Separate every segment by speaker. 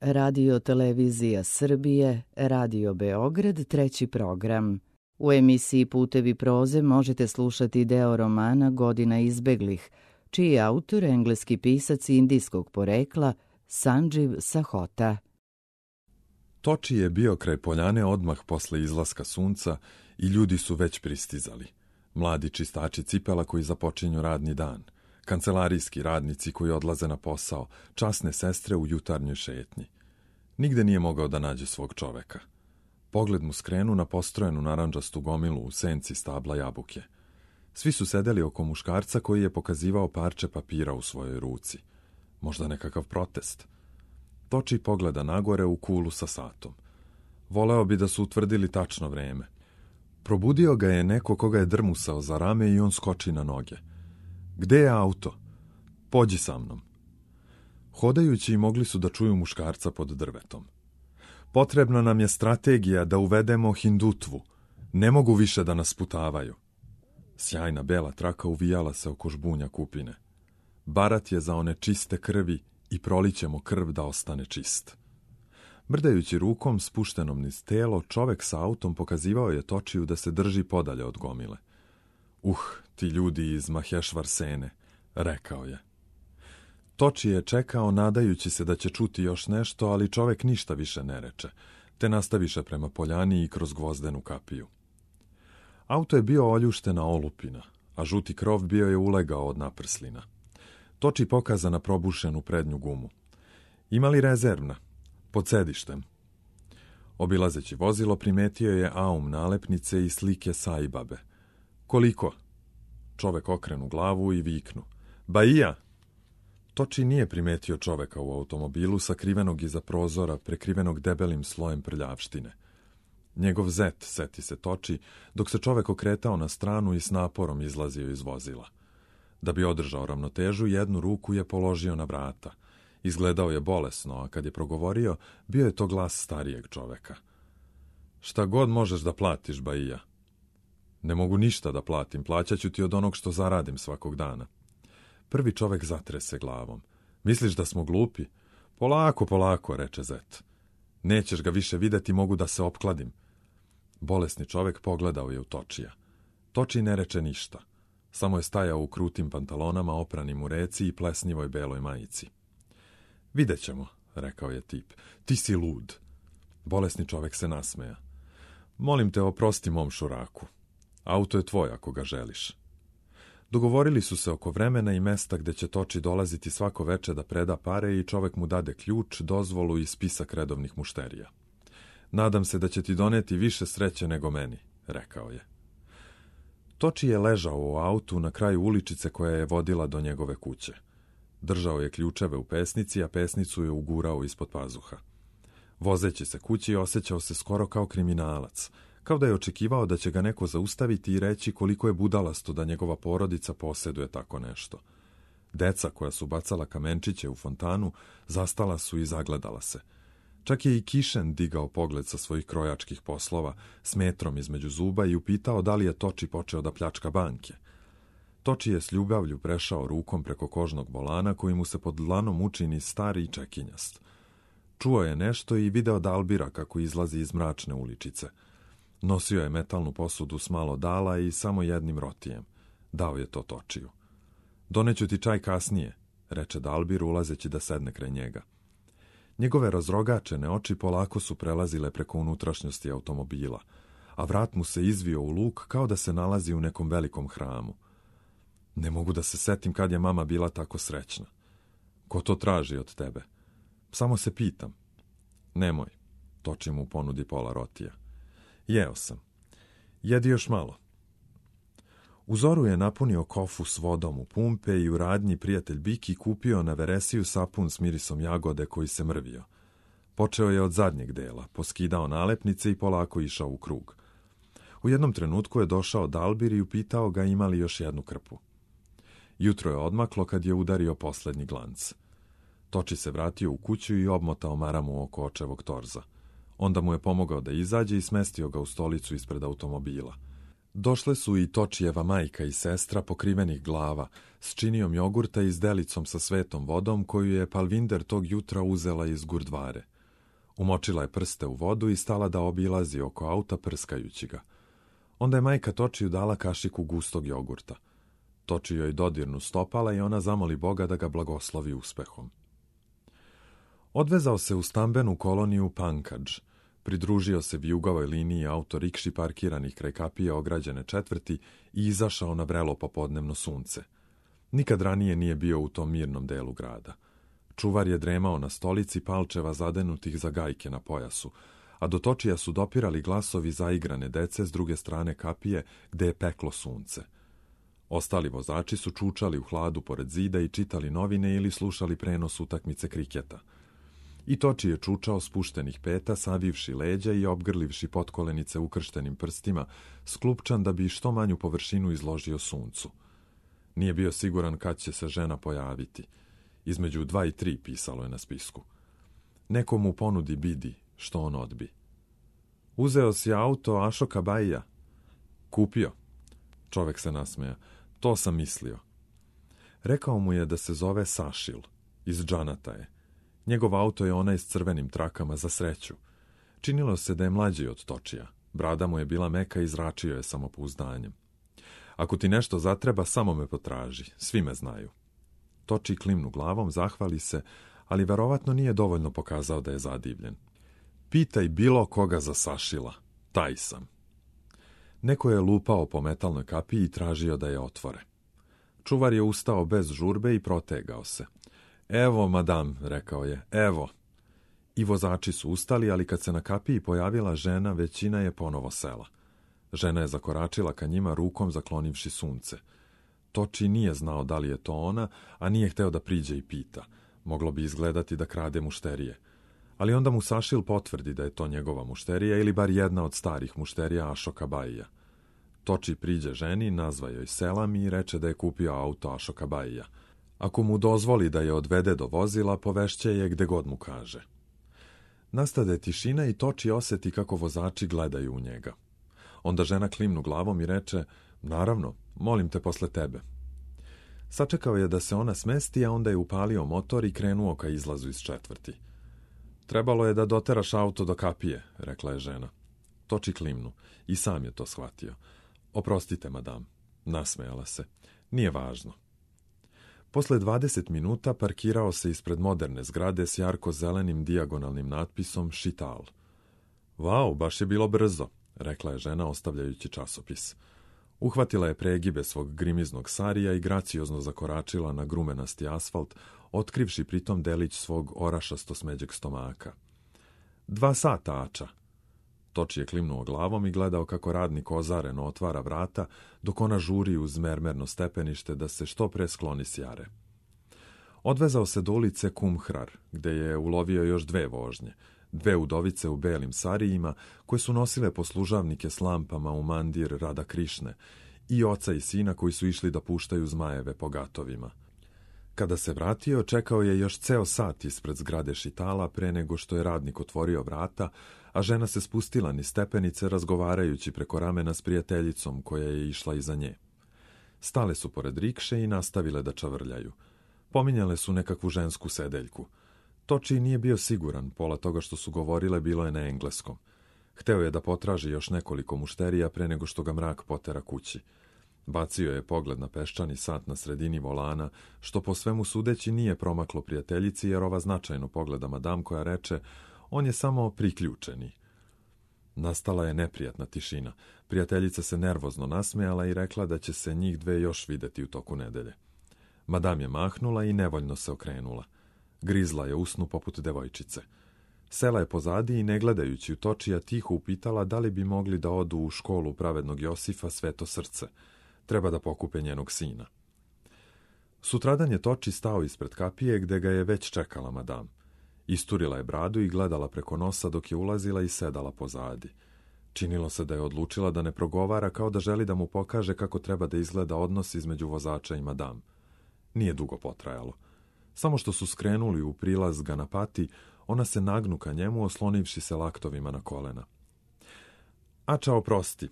Speaker 1: Radio Televizija Srbije, Radio Beograd, treći program. U emisiji Putevi proze možete slušati deo romana Godina izbeglih, čiji je autor engleski pisac indijskog porekla Sanđiv Sahota.
Speaker 2: Toči je bio kraj poljane odmah posle izlaska sunca i ljudi su već pristizali. Mladi čistači cipela koji započinju radni dan, kancelarijski radnici koji odlaze na posao, časne sestre u jutarnjoj šetnji. Nigde nije mogao da nađe svog čoveka. Pogled mu skrenu na postrojenu narandžastu gomilu u senci stabla jabuke. Svi su sedeli oko muškarca koji je pokazivao parče papira u svojoj ruci. Možda nekakav protest. Toči pogleda nagore u kulu sa satom. Voleo bi da su utvrdili tačno vreme. Probudio ga je neko koga je drmusao za rame i on skoči na noge. Gde je auto? Pođi sa mnom. Hodajući mogli su da čuju muškarca pod drvetom. Potrebna nam je strategija da uvedemo hindutvu. Ne mogu više da nas sputavaju. Sjajna bela traka uvijala se oko žbunja kupine. Barat je za one čiste krvi i prolićemo krv da ostane čist. Mrdajući rukom spuštenom niz telo, čovek sa autom pokazivao je Točiju da se drži podalje od gomile. Ti ljudi iz Mahešvar Sene, rekao je. Toči je čekao nadajući se da će čuti još nešto, ali čovek ništa više ne reče, te nastaviše prema poljani i kroz gvozdenu kapiju. Auto je bio oljuštena olupina, a žuti krov bio je ulegao od naprslina. Toči pokaza na probušenu prednju gumu. Ima li rezervna? Pod sedištem. Obilazeći vozilo primetio je aum nalepnice i slike Saibabe. Koliko? Čovek okrenu glavu i viknu. Baija! Toči nije primetio čoveka u automobilu sakrivenog iza prozora, prekrivenog debelim slojem prljavštine. Njegov zet, seti se Toči, dok se čovek okretao na stranu i s naporom izlazio iz vozila. Da bi održao ravnotežu, jednu ruku je položio na vrata. Izgledao je bolesno, a kad je progovorio, bio je to glas starijeg čoveka. Šta god možeš da platiš, Baija. Ne mogu ništa da platim, plaćaću ti od onog što zaradim svakog dana. Prvi čovek zatrese glavom. Misliš da smo glupi? Polako, polako, reče zet. Nećeš ga više videti, mogu da se opkladim. Bolesni čovek pogledao je u Točija. Toči ne reče ništa. Samo je stajao u krutim pantalonama, opranim u reci i plesnjivoj beloj majici. Vidjet ćemo, rekao je tip. Ti si lud. Bolesni čovek se nasmeja. Molim te, oprosti mom šuraku. Auto je tvoj ako ga želiš. Dogovorili su se oko vremena i mesta gde će Toči dolaziti svako veče da preda pare i čovek mu dade ključ, dozvolu i spisak redovnih mušterija. Nadam se da će ti doneti više sreće nego meni, rekao je. Toči je ležao u autu na kraju uličice koja je vodila do njegove kuće. Držao je ključeve u pesnici, a pesnicu je ugurao ispod pazuha. Vozeći se kući osjećao se skoro kao kriminalac, kao da je očekivao da će ga neko zaustaviti i reći koliko je budalasto da njegova porodica posjeduje tako nešto. Deca koja su bacala kamenčiće u fontanu zastala su i zagledala se. Čak je i Kišen digao pogled sa svojih krojačkih poslova s metrom između zuba i upitao da li je Toči počeo da pljačka banke. Toči je s ljubavlju prešao rukom preko kožnog volana koji mu se pod dlanom učini stari i čekinjast. Čuo je nešto i video Dalbira kako izlazi iz mračne uličice. Nosio je metalnu posudu s malo dala i samo jednim rotijem. Dao je to Točiju. Doneću ti čaj kasnije, reče Dalbir ulazeći da sedne kraj njega. Njegove razrogačene oči polako su prelazile preko unutrašnjosti automobila, a vrat mu se izvio u luk kao da se nalazi u nekom velikom hramu. Ne mogu da se setim kad je mama bila tako srećna. Ko to traži od tebe? Samo se pitam. Nemoj, Toči mu ponudi pola rotija. Jeo sam. Jedi još malo. U zoru je napunio kofu s vodom u pumpe i u radnji prijatelj Biki kupio na veresiju sapun s mirisom jagode koji se mrvio. Počeo je od zadnjeg dela, poskidao nalepnice i polako išao u krug. U jednom trenutku je došao Dalbir i upitao ga ima li još jednu krpu. Jutro je odmaklo kad je udario poslednji glanc. Toči se vratio u kuću i obmotao maramu oko očevog torza. Onda mu je pomogao da izađe i smestio ga u stolicu ispred automobila. Došle su i Točijeva majka i sestra pokrivenih glava, s činijom jogurta i s delicom sa svetom vodom koju je Palvinder tog jutra uzela iz gurdvare. Umočila je prste u vodu i stala da obilazi oko auta prskajući ga. Onda je majka Točiju dala kašiku gustog jogurta. Toči joj dodirnu stopala i ona zamoli Boga da ga blagoslovi uspehom. Odvezao se u stambenu koloniju Pankadž, pridružio se vijugavoj liniji autorikši parkiranih kraj kapije ograđene četvrti i izašao na vrelo popodnevno sunce. Nikad ranije nije bio u tom mirnom delu grada. Čuvar je dremao na stolici palčeva zadenutih za gajke na pojasu, a do Točija su dopirali glasovi zaigrane dece s druge strane kapije gde je peklo sunce. Ostali vozači su čučali u hladu pored zida i čitali novine ili slušali prenos utakmice kriketa. I Toči je čučao spuštenih peta, savivši leđa i obgrlivši potkolenice ukrštenim prstima, sklupčan da bi što manju površinu izložio suncu. Nije bio siguran kad će se žena pojaviti. Između 2 i 3 pisalo je na spisku. Neko mu ponudi bidi, što on odbi. Uzeo si auto Ašoka Baija? Kupio. Čovek se nasmeja. To sam mislio. Rekao mu je da se zove Sašil. Iz Džanata je. Njegov auto je onaj s crvenim trakama za sreću. Činilo se da je mlađi od Točija. Brada mu je bila meka i zračio je samopouzdanjem. Ako ti nešto zatreba, samo me potraži. Svi me znaju. Toči klimnu glavom, zahvali se, ali verovatno nije dovoljno pokazao da je zadivljen. Pitaj bilo koga za Sašila. Taj sam. Neko je lupao po metalnoj kapiji i tražio da je otvore. Čuvar je ustao bez žurbe i protegao se. Evo, madam, rekao je, evo. I vozači su ustali, ali kad se na kapiji pojavila žena, većina je ponovo sela. Žena je zakoračila ka njima rukom zaklonivši sunce. Toči nije znao da li je to ona, a nije hteo da priđe i pita. Moglo bi izgledati da krade mušterije. Ali onda mu Sašil potvrdi da je to njegova mušterija ili bar jedna od starih mušterija Ašoka Baija. Toči priđe ženi, nazva joj selam i reče da je kupio auto Ašoka Baija. Ako mu dozvoli da je odvede do vozila, povešće je gde god mu kaže. Nastade tišina i Toči oseti kako vozači gledaju u njega. Onda žena klimnu glavom i reče, naravno, molim te posle tebe. Sačekao je da se ona smesti, a onda je upalio motor i krenuo ka izlazu iz četvrti. Trebalo je da doteraš auto do kapije, rekla je žena. Toči klimnu i sam je to shvatio. Oprostite, madam, nasmejala se. Nije važno. Posle 20 minuta parkirao se ispred moderne zgrade s jarko-zelenim dijagonalnim natpisom Šital. Vau, baš je bilo brzo, rekla je žena ostavljajući časopis. Uhvatila je pregibe svog grimiznog sarija i graciozno zakoračila na grumenasti asfalt, otkrivši pritom delić svog orašasto smeđeg stomaka. 2 sata, ača. Toči je klimnuo glavom i gledao kako radnik ozareno otvara vrata, dok ona žuri uz mermerno stepenište da se što pre skloni s jare. Odvezao se do ulice Kumhrar, gde je ulovio još 2 vožnje, 2 udovice u belim sarijima, koje su nosile poslužavnike s lampama u mandir Rada Krišne, i oca i sina koji su išli da puštaju zmajeve po gatovima. Kada se vratio, čekao je još ceo sat ispred zgrade Šitala pre nego što je radnik otvorio vrata, a žena se spustila niz stepenice razgovarajući preko ramena s prijateljicom koja je išla iza nje. Stale su pored rikše i nastavile da čavrljaju. Pominjale su nekakvu žensku sedeljku. Toči nije bio siguran, pola toga što su govorile bilo je na engleskom. Hteo je da potraži još nekoliko mušterija pre nego što ga mrak potera kući. Bacio je pogled na peščani sat na sredini volana, što po svemu sudeći nije promaklo prijateljici, jer ova značajno pogleda madam koja reče, on je samo priključeni. Nastala je neprijatna tišina. Prijateljica se nervozno nasmejala i rekla da će se njih 2 još videti u toku nedelje. Madam je mahnula i nevoljno se okrenula. Grizla je usnu poput devojčice. Sela je pozadi i ne gledajući u Točija tiho upitala da li bi mogli da odu u školu pravednog Josifa Sveto srce. Treba da pokupe njenog sina. Sutradan je Toči stao ispred kapije gde ga je već čekala madam. Isturila je bradu i gledala preko nosa dok je ulazila i sedala pozadi. Činilo se da je odlučila da ne progovara, kao da želi da mu pokaže kako treba da izgleda odnos između vozača i madam. Nije dugo potrajalo. Samo što su skrenuli u prilaz Ganapati, ona se nagnu ka njemu, oslonivši se laktovima na kolena. Ača, oprosti,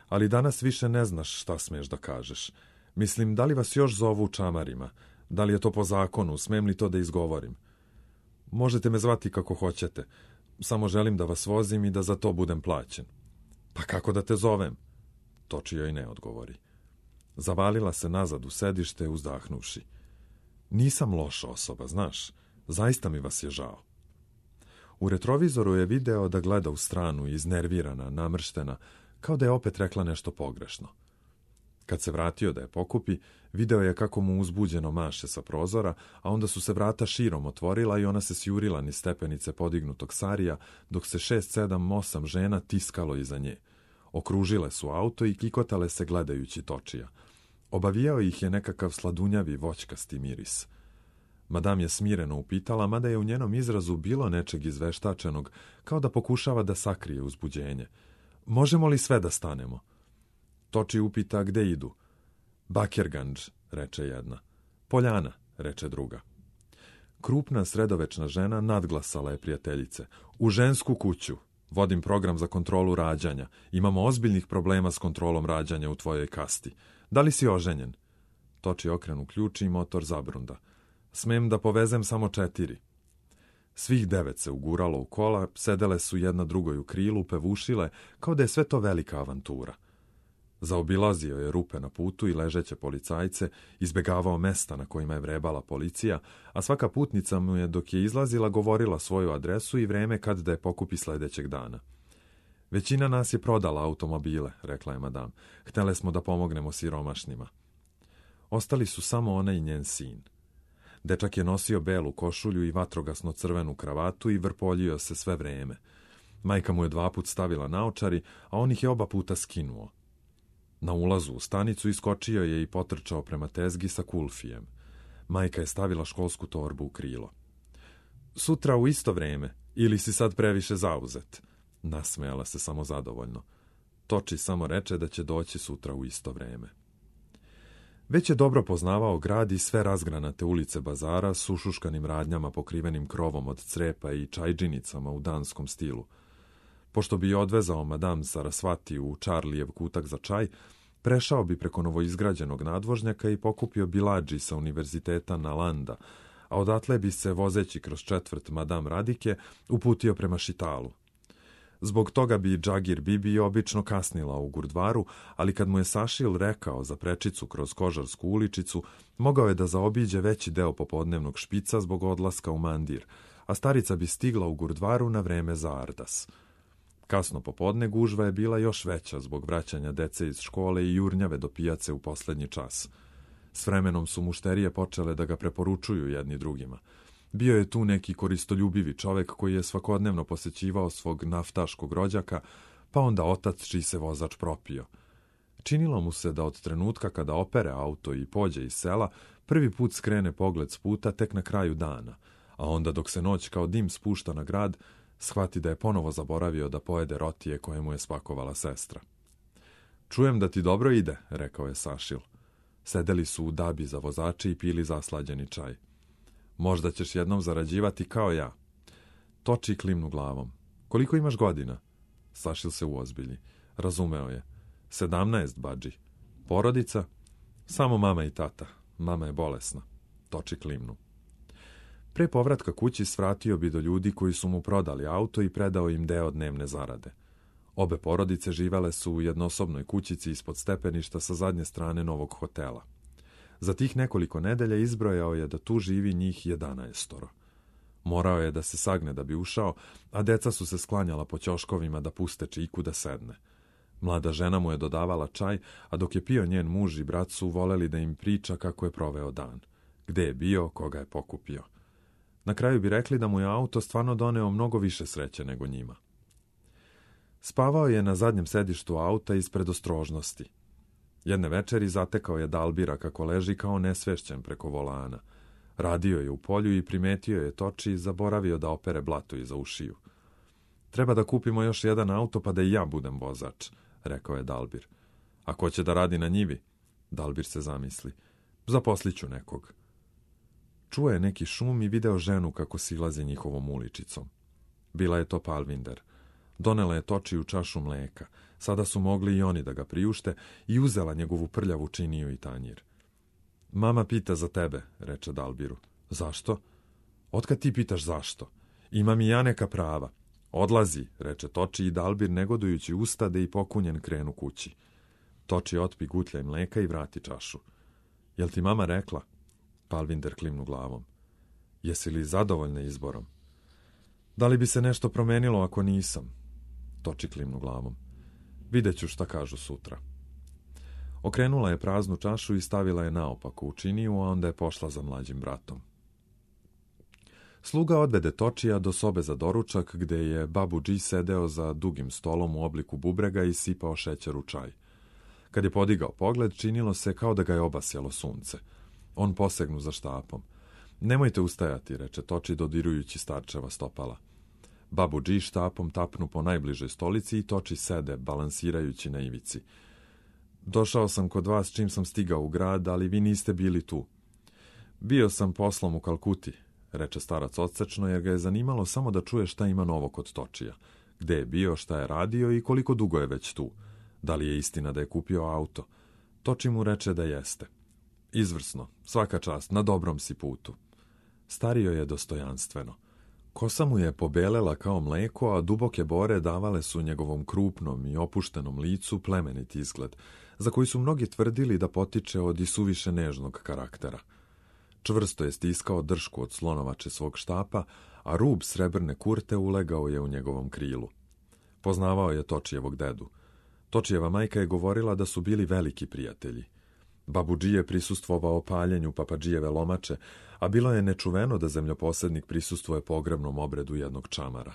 Speaker 2: ali danas više ne znaš šta smeš da kažeš. Mislim, da li vas još zovu čamarima? Da li je to po zakonu? Smem li to da izgovorim? Možete me zvati kako hoćete. Samo želim da vas vozim i da za to budem plaćen. Pa kako da te zovem? Toči joj ne odgovori. Zavalila se nazad u sedište, uzdahnuvši. Nisam loša osoba, znaš. Zaista mi vas je žao. U retrovizoru je video da gleda u stranu, iznervirana, namrštena, kao da je opet rekla nešto pogrešno. Kad se vratio da je pokupi, video je kako mu uzbuđeno maše sa prozora, a onda su se vrata širom otvorila i ona se sjurila niz stepenice podignutog sarija, dok se 6, 7, 8 žena tiskalo iza nje. Okružile su auto i kikotale se gledajući Točija. Obavijao ih je nekakav sladunjavi voćkasti miris. Madam je smireno upitala, mada je u njenom izrazu bilo nečeg izveštačenog, kao da pokušava da sakrije uzbuđenje. Možemo li sve da stanemo? Toči upita gde idu. Bakirgandž, reče jedna. Poljana, reče druga. Krupna sredovečna žena nadglasala je prijateljice. U žensku kuću. Vodim program za kontrolu rađanja. Imamo ozbiljnih problema s kontrolom rađanja u tvojoj kasti. Da li si oženjen? Toči okrenu ključ i motor zabrunda. Smem da povezem samo 4. Svih 9 se uguralo u kola, sedele su jedna drugoj u krilu, pevušile, kao da je sve to velika avantura. Zaobilazio je rupe na putu i ležeće policajce, izbegavao mesta na kojima je vrebala policija, a svaka putnica mu je dok je izlazila govorila svoju adresu i vreme kad da je pokupi sledećeg dana. Većina nas je prodala automobile, rekla je madam. Htele smo da pomognemo siromašnima. Ostali su samo ona i njen sin. Dečak je nosio belu košulju i vatrogasno crvenu kravatu i vrpoljio se sve vreme. Majka mu je 2 put stavila naočari, a on ih je oba puta skinuo. Na ulazu u stanicu iskočio je i potrčao prema tezgi sa kulfijem. Majka je stavila školsku torbu u krilo. Sutra u isto vreme, ili si sad previše zauzet? Nasmejala se samozadovoljno. Toči samo reče da će doći sutra u isto vreme. Već je dobro poznavao grad i sve razgranate ulice bazara s ušuškanim radnjama pokrivenim krovom od crepa i čajđinicama u danskom stilu. Pošto bi je odvezao madam Sarasvati u Čarlijev kutak za čaj, prešao bi preko novoizgrađenog nadvožnjaka i pokupio biladži sa univerziteta Nalanda, a odatle bi se, vozeći kroz četvrt madam Radike, uputio prema Šitalu. Zbog toga bi Džagir Bibi obično kasnila u Gurdvaru, ali kad mu je Sašil rekao za prečicu kroz Kožarsku uličicu, mogao je da zaobiđe veći deo popodnevnog špica zbog odlaska u Mandir, a starica bi stigla u Gurdvaru na vreme za Ardas. Kasno popodne gužva je bila još veća zbog vraćanja dece iz škole i jurnjave do pijace u poslednji čas. S vremenom su mušterije počele da ga preporučuju jedni drugima. Bio je tu neki koristoljubivi čovek koji je svakodnevno posećivao svog naftaškog rođaka, pa onda otac čiji se vozač propio. Činilo mu se da od trenutka kada opere auto i pođe iz sela, prvi put skrene pogled s puta tek na kraju dana, a onda dok se noć kao dim spušta na grad, shvati da je ponovo zaboravio da pojede rotije koje mu je spakovala sestra. Čujem da ti dobro ide, rekao je Sašil. Sedeli su u dabi za vozače i pili zaslađeni čaj. Možda ćeš jednom zarađivati kao ja. Toči klimnu glavom. Koliko imaš godina? Sašil se uozbilji. Razumeo je. 17, badži. Porodica? Samo mama i tata. Mama je bolesna. Toči klimnu. Pre povratka kući svratio bi do ljudi koji su mu prodali auto i predao im deo dnevne zarade. Obe porodice živele su u jednosobnoj kućici ispod stepeništa sa zadnje strane novog hotela. Za tih nekoliko nedelja izbrojao je da tu živi njih 11. Morao je da se sagne da bi ušao, a deca su se sklanjala po ćoškovima da puste čiku da sedne. Mlada žena mu je dodavala čaj, a dok je pio njen muž i brat su voleli da im priča kako je proveo dan. Gde je bio, koga je pokupio. Na kraju bi rekli da mu je auto stvarno doneo mnogo više sreće nego njima. Spavao je na zadnjem sedištu auta iz predostrožnosti. Jedne večeri zatekao je Dalbira kako leži kao nesvešćen preko volana. Radio je u polju i primetio je Toči i zaboravio da opere blato iza ušiju. Treba da kupimo još jedan auto pa da i ja budem vozač, rekao je Dalbir. A ko će da radi na njivi? Dalbir se zamisli. Zaposliću nekog. Čuo je neki šum i video ženu kako silazi njihovom uličicom. Bila je to Palvinder. Donela je Točiju čašu mleka. Sada su mogli i oni da ga priušte i uzela njegovu prljavu činiju i tanjir. Mama pita za tebe, reče Dalbiru. Zašto? Otkad ti pitaš zašto? Imam i ja neka prava. Odlazi, reče Toči i Dalbir negodujući ustade i pokunjen krenu kući. Toči otpi gutljaj mleka i vrati čašu. Jel ti mama rekla? Palvinder klimnu glavom. Jesi li zadovoljna izborom? Da li bi se nešto promenilo ako nisam? Toči klimnu glavom. Vidjet ću šta kažu sutra. Okrenula je praznu čašu i stavila je naopako u činiju, a onda je pošla za mlađim bratom. Sluga odvede Točija do sobe za doručak, gde je Babuđi sedeo za dugim stolom u obliku bubrega i sipao šećer u čaj. Kad je podigao pogled, činilo se kao da ga je obasjalo sunce. On posegnu za štapom. Nemojte ustajati, reče Toči dodirujući starčeva stopala. Babuđi štapom tapnu po najbližoj stolici i Toči sede, balansirajući na ivici. Došao sam kod vas čim sam stigao u grad, ali vi niste bili tu. Bio sam poslom u Kalkuti, reče starac odsečno, jer ga je zanimalo samo da čuje šta ima novo kod Točija. Gde je bio, šta je radio i koliko dugo je već tu. Da li je istina da je kupio auto? Toči mu reče da jeste. Izvrsno, svaka čast, na dobrom si putu. Stario je dostojanstveno. Kosa mu je pobelela kao mleko, a duboke bore davale su njegovom krupnom i opuštenom licu plemenit izgled, za koji su mnogi tvrdili da potiče od isuviše nežnog karaktera. Čvrsto je stiskao dršku od slonovače svog štapa, a rub srebrne kurte ulegao je u njegovom krilu. Poznavao je Točijevog dedu. Točijeva majka je govorila da su bili veliki prijatelji. Babuđi je prisustvovao paljenju papadžijeve lomače, a bilo je nečuveno da zemljoposednik prisustvuje pogrebnom obredu jednog čamara.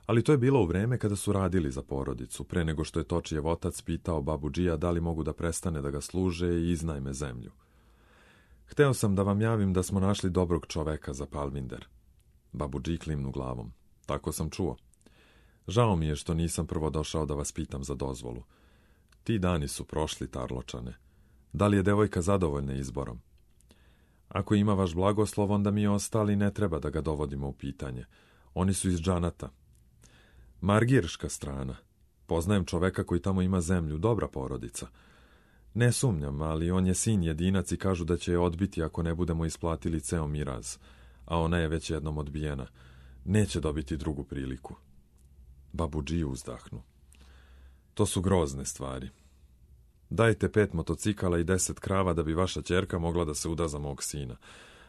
Speaker 2: Ali to je bilo u vreme kada su radili za porodicu, pre nego što je Točijev otac pitao Babuđija da li mogu da prestane da ga služe i iznajme zemlju. Hteo sam da vam javim da smo našli dobrog čoveka za Palvinder. Babuđi klimnu glavom. Tako sam čuo. Žao mi je što nisam prvo došao da vas pitam za dozvolu. Ti dani su prošli, Tarločane. Da li je devojka zadovoljna izborom? Ako ima vaš blagoslov, onda mi ostali ne treba da ga dovodimo u pitanje. Oni su iz Džanata. Margirška strana. Poznajem čoveka koji tamo ima zemlju, dobra porodica. Ne sumnjam, ali on je sin jedinac i kažu da će je odbiti ako ne budemo isplatili ceo miraz. A ona je već jednom odbijena. Neće dobiti drugu priliku. Babuđi uzdahnu. To su grozne stvari. Dajte 5 motocikala i 10 krava da bi vaša ćerka mogla da se uda za mog sina.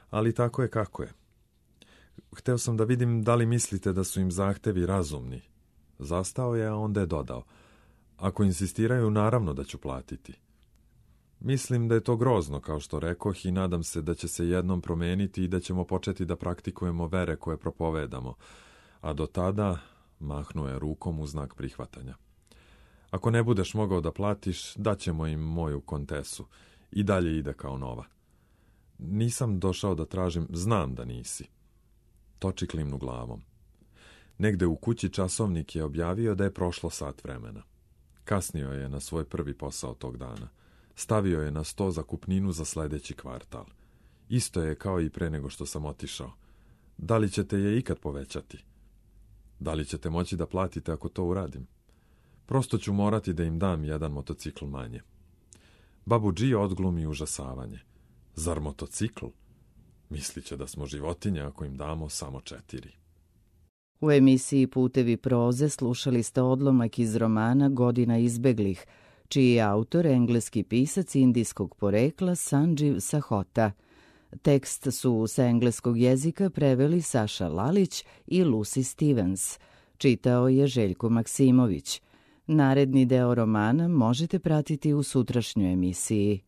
Speaker 2: Ali tako je kako je. Hteo sam da vidim da li mislite da su im zahtevi razumni. Zastao je, a onda je dodao. Ako insistiraju, naravno da ću platiti. Mislim da je to grozno, kao što rekoh, i nadam se da će se jednom promeniti i da ćemo početi da praktikujemo vere koje propovedamo. A do tada mahnuo je rukom u znak prihvatanja. Ako ne budeš mogao da platiš, daćemo im moju kontesu. I dalje ide kao nova. Nisam došao da tražim, znam da nisi. Toči klimnu glavom. Negde u kući časovnik je objavio da je prošlo sat vremena. Kasnio je na svoj prvi posao tog dana. Stavio je na sto zakupninu za sledeći kvartal. Isto je kao i pre nego što sam otišao. Da li ćete je ikad povećati? Da li ćete moći da platite ako to uradim? Prosto ću morati da im dam jedan motocikl manje. Babuđi odglumi užasavanje. Zar motocikl? Misliće da smo životinje ako im damo samo 4.
Speaker 1: U emisiji Putevi proze slušali ste odlomak iz romana Godina izbeglih, čiji je autor engleski pisac indijskog porekla Sanđiv Sahota. Tekst su sa engleskog jezika preveli Saša Lalić i Lucy Stevens. Čitao je Željko Maksimović. Naredni deo romana možete pratiti u sutrašnjoj emisiji.